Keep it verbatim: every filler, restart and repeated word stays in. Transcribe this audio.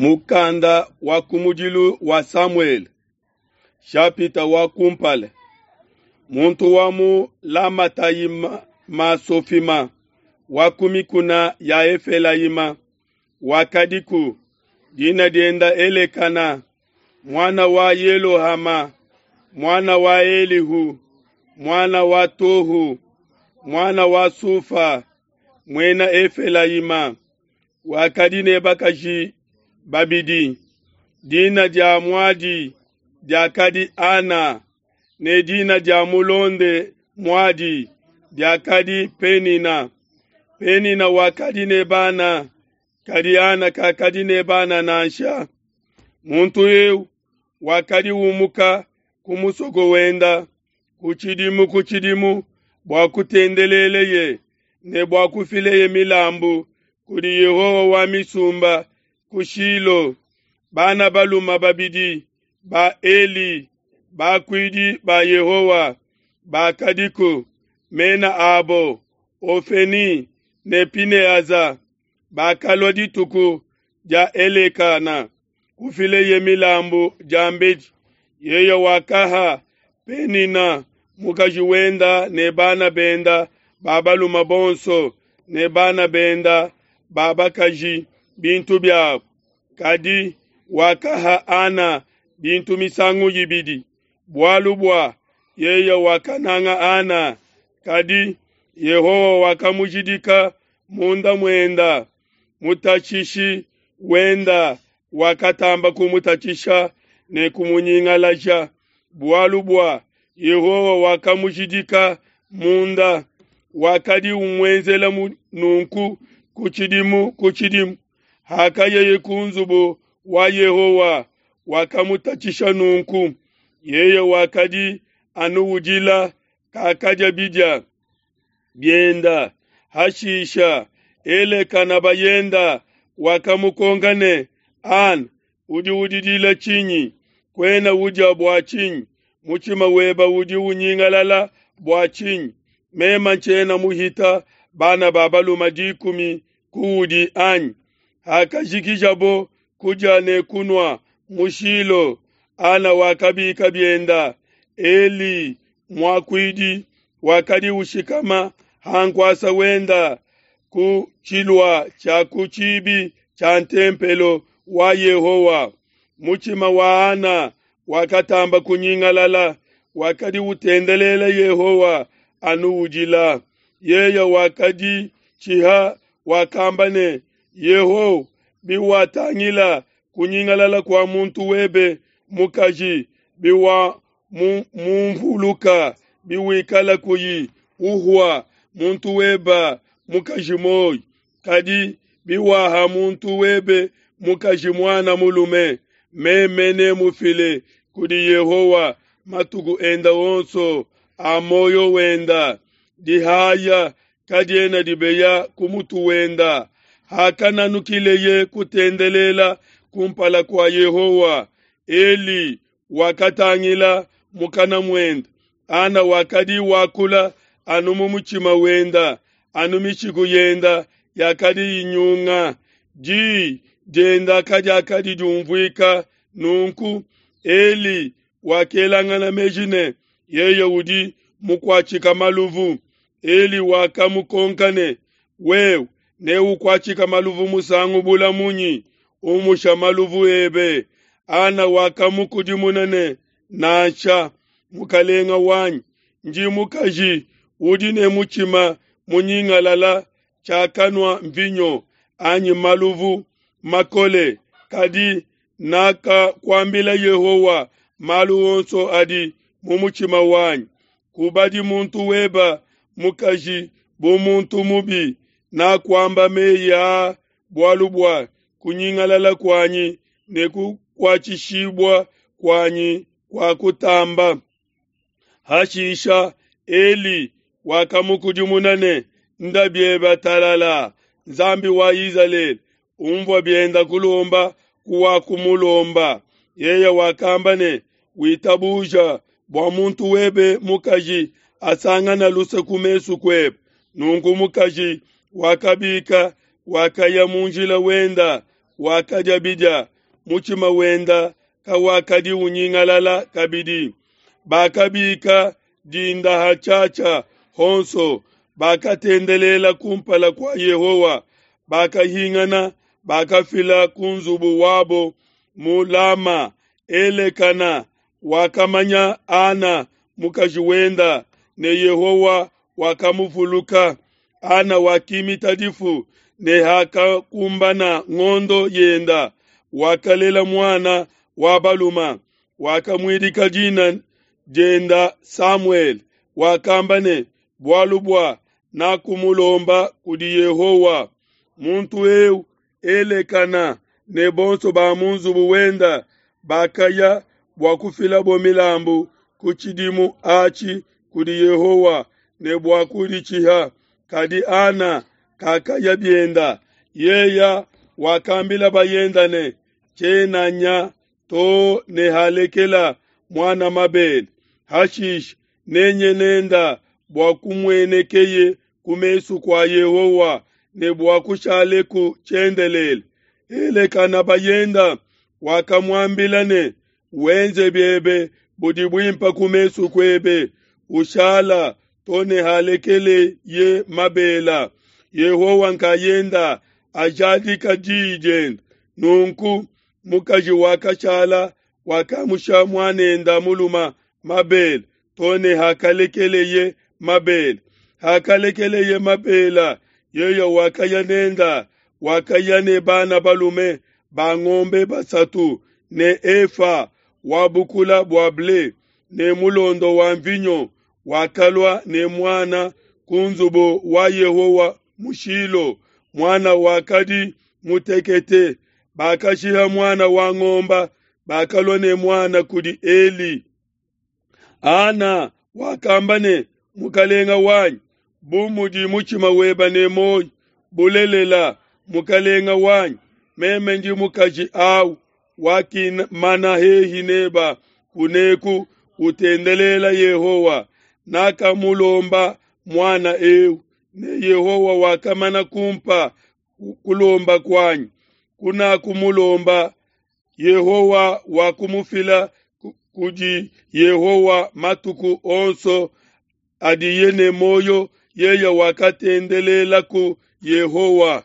Mukanda wa kumudilu wa Samuele, shapita wa kumpala. Muntu wa mu Lamatayimasofima wa ku mikuna ya Efelayima wakadiku, dina dienda Elekana, muana wa Yelohama, muana wa Elihu, muana wa Tohu, muana wa Sufa, muena Efelayima. Wakadi ne bakaji babidi, dina dia muadi diakadi Ana, ne dina dia mulonde muadi diakadi Penina. Penina wakadi ne bana, kadi Ana kakadi ne bana nansha. Muntu eu wakadi umuka ku musoko wenda ku tshidimu ku tshidimu bua kutendeleleye ne bua kufileye milambu kudi Yehowa wa misumba ku Shilo. Bana baluma babidi ba Eli, bakuidi ba Yehowa, bakadiku, mena abo Ofeni ne Pinehaza. Bakalua dituku dia Elekana kufileye milambu diambedi. Yeye wakaha Penina mukaji wenda ne bana benda ba baluma bonso ne bana benda ba bakaji bintu biabo. Kadi wakaha Ana bintu misangu ibidi, bualu bua yeye wakananga Ana. Kadi Yehowa wakamujidika munda muenda, mutatshishi wenda wakatamba kumutatshisha ne kumunyingalaja, bualu bua Yehowa wakamujidika munda. Wakadi umuenzela nunku ku tshidimu ku tshidimu. Hakayeye ku nzubu wa Yehowa, wakamutatshisha nunku. Yeye wakadi anu udila, kakadia bidia bienda. Hashisha Elekana bayenda wakamukonka ne, Ana, udi udidila tshinyi? Kuena udia bua tshinyi? Mutshima weba udi unyingalala bua tshinyi? Mema ntshiena muhita bana ba baluma dikumi kuudi anyi? Hakajikijabo kudia ne kunua mu Shilo, Ana wakabika bienda. Eli muakuidi wakadi ushikama ha nkuasa wenda ku tshilua tshia ku tshibi tshia ntempelo wa Yehowa. Mutshima wa Ana wakatamba kunyingalala, wakadi utendelela Yehowa anu udila. Yeye wakadi tshiha, wakamba ne, Yehowa, biwatangila kunyingalala kua muntu webe mukaji, biwa mumvuluka, biwikala kuyi uhua muntu weba mukaji moyi, kadi biwaha muntu webe mukaji muana mulume, meme nemufile kudi Yehowa matuku enda onso a moyo wenda. Dihaya kadiena dibeya ku mutu wenda. Hakananukileye kutendelela kumpala kua Yehowa, Eli wakatangila mukana muenda. Ana wakadi wakula anu mu mutshima wenda, anu mishiku yenda yakadi inyunga, di dienda kadiakadi diumvuika. Nunku Eli wakelangana meji ne, yeye udi mukuatshika maluvu. Eli wakamukonka ne, wewe neukuatshika maluvu musangu bula munyi? Umusha maluvu ebe. Ana wakamukudimuna ne, nansha, mukalenga wanyi, ndi mukaji udi ne mutshima munyingalala, tshiakanua mvinyo anyi maluvu makole, kadi nakakuambila Yehowa malu onso adi mu mutshima wanyi. Kubadi muntu weba mukaji bu muntu mubi. Nakuamba meyi aa bualu bua kunyingalala kuanyi ne kukuatshishibua kuanyi kua kutamba. Hashisha Eli wakamukudimuna ne, nda bieba talala, Nzambi wa Izalele umvua bienda kulomba kuwakumulomba. Yeye wakamba ne, witabuja bua muntu webe mukaji asangana luse ku mesu kuebe. Nunku mukaji wakabika, wakaya mu njila wenda, wakadia bidia, mutshima wenda kawakadi unyingalala kabidi. Bakabika dinda hatshiatshia honso, bakatendelela kumpala kua Yehowa, bakahingana, bakafila ku nzubu wabo mu Lama. Elekana wakamanya Ana mukaji wenda, ne Yehowa wakamuvuluka. Ana wakimita difu, ne hakakumbana ngondo yenda, wakalela muana wa baluma. Wakamuidika dina dienda Samuele, wakamba ne, bualu bua nakumulomba kudi Yehowa. Muntu eu Elekana ne bonso ba mu nzubu wenda bakaya bua kufilabo milambu ku tshidimu atshi kudi Yehowa ne bua kuditshiha. Kadi Ana kakaya bienda. Yeya wakambila bayenda ne, tshiena nya to ne halekela muana mabele. Hashishe nenye nenda bua kumuenekeye ku mesu kua Yehowa ne bua kushaleku tshiendelele. Elekana bayenda wakamuambila ne, wenze biebe budi buimpe ku mesu kuebe, ushala to ne halekeleye mabela. Yehowa nkayenda ajadika diyi diende. Nunku mukaji wakashala wakamusha muanenda muluma mabele to ne hakalekeleye mabele. Hakalekeleye mabela, yeye wakaya nenda, wakaya ne bana balume ba ngombe basatu ne efa wa bukula bua ble ne mulondo wa mvinyo, wakalua ne muana ku nzubu wa Yehowa mu Shilo. Muana wakadi mutekete. Bakashiha muana wa ngomba, bakalua ne muana kudi Eli. Ana wakamba ne, mukalenga wanyi, bu mudi mutshima weba ne muoyo, bulelela mukalenga wanyi, meme ndi mukaji awu wakimana hehi neba kuneku utendelela Yehowa. Nakamulomba muana eu, ne Yehowa wakamana kumpa kulomba kuanyi. Kunakumulomba, Yehowa wakumufila kudi Yehowa matuku onso adiye ne muoyo, yeye wakatendelelaku Yehowa.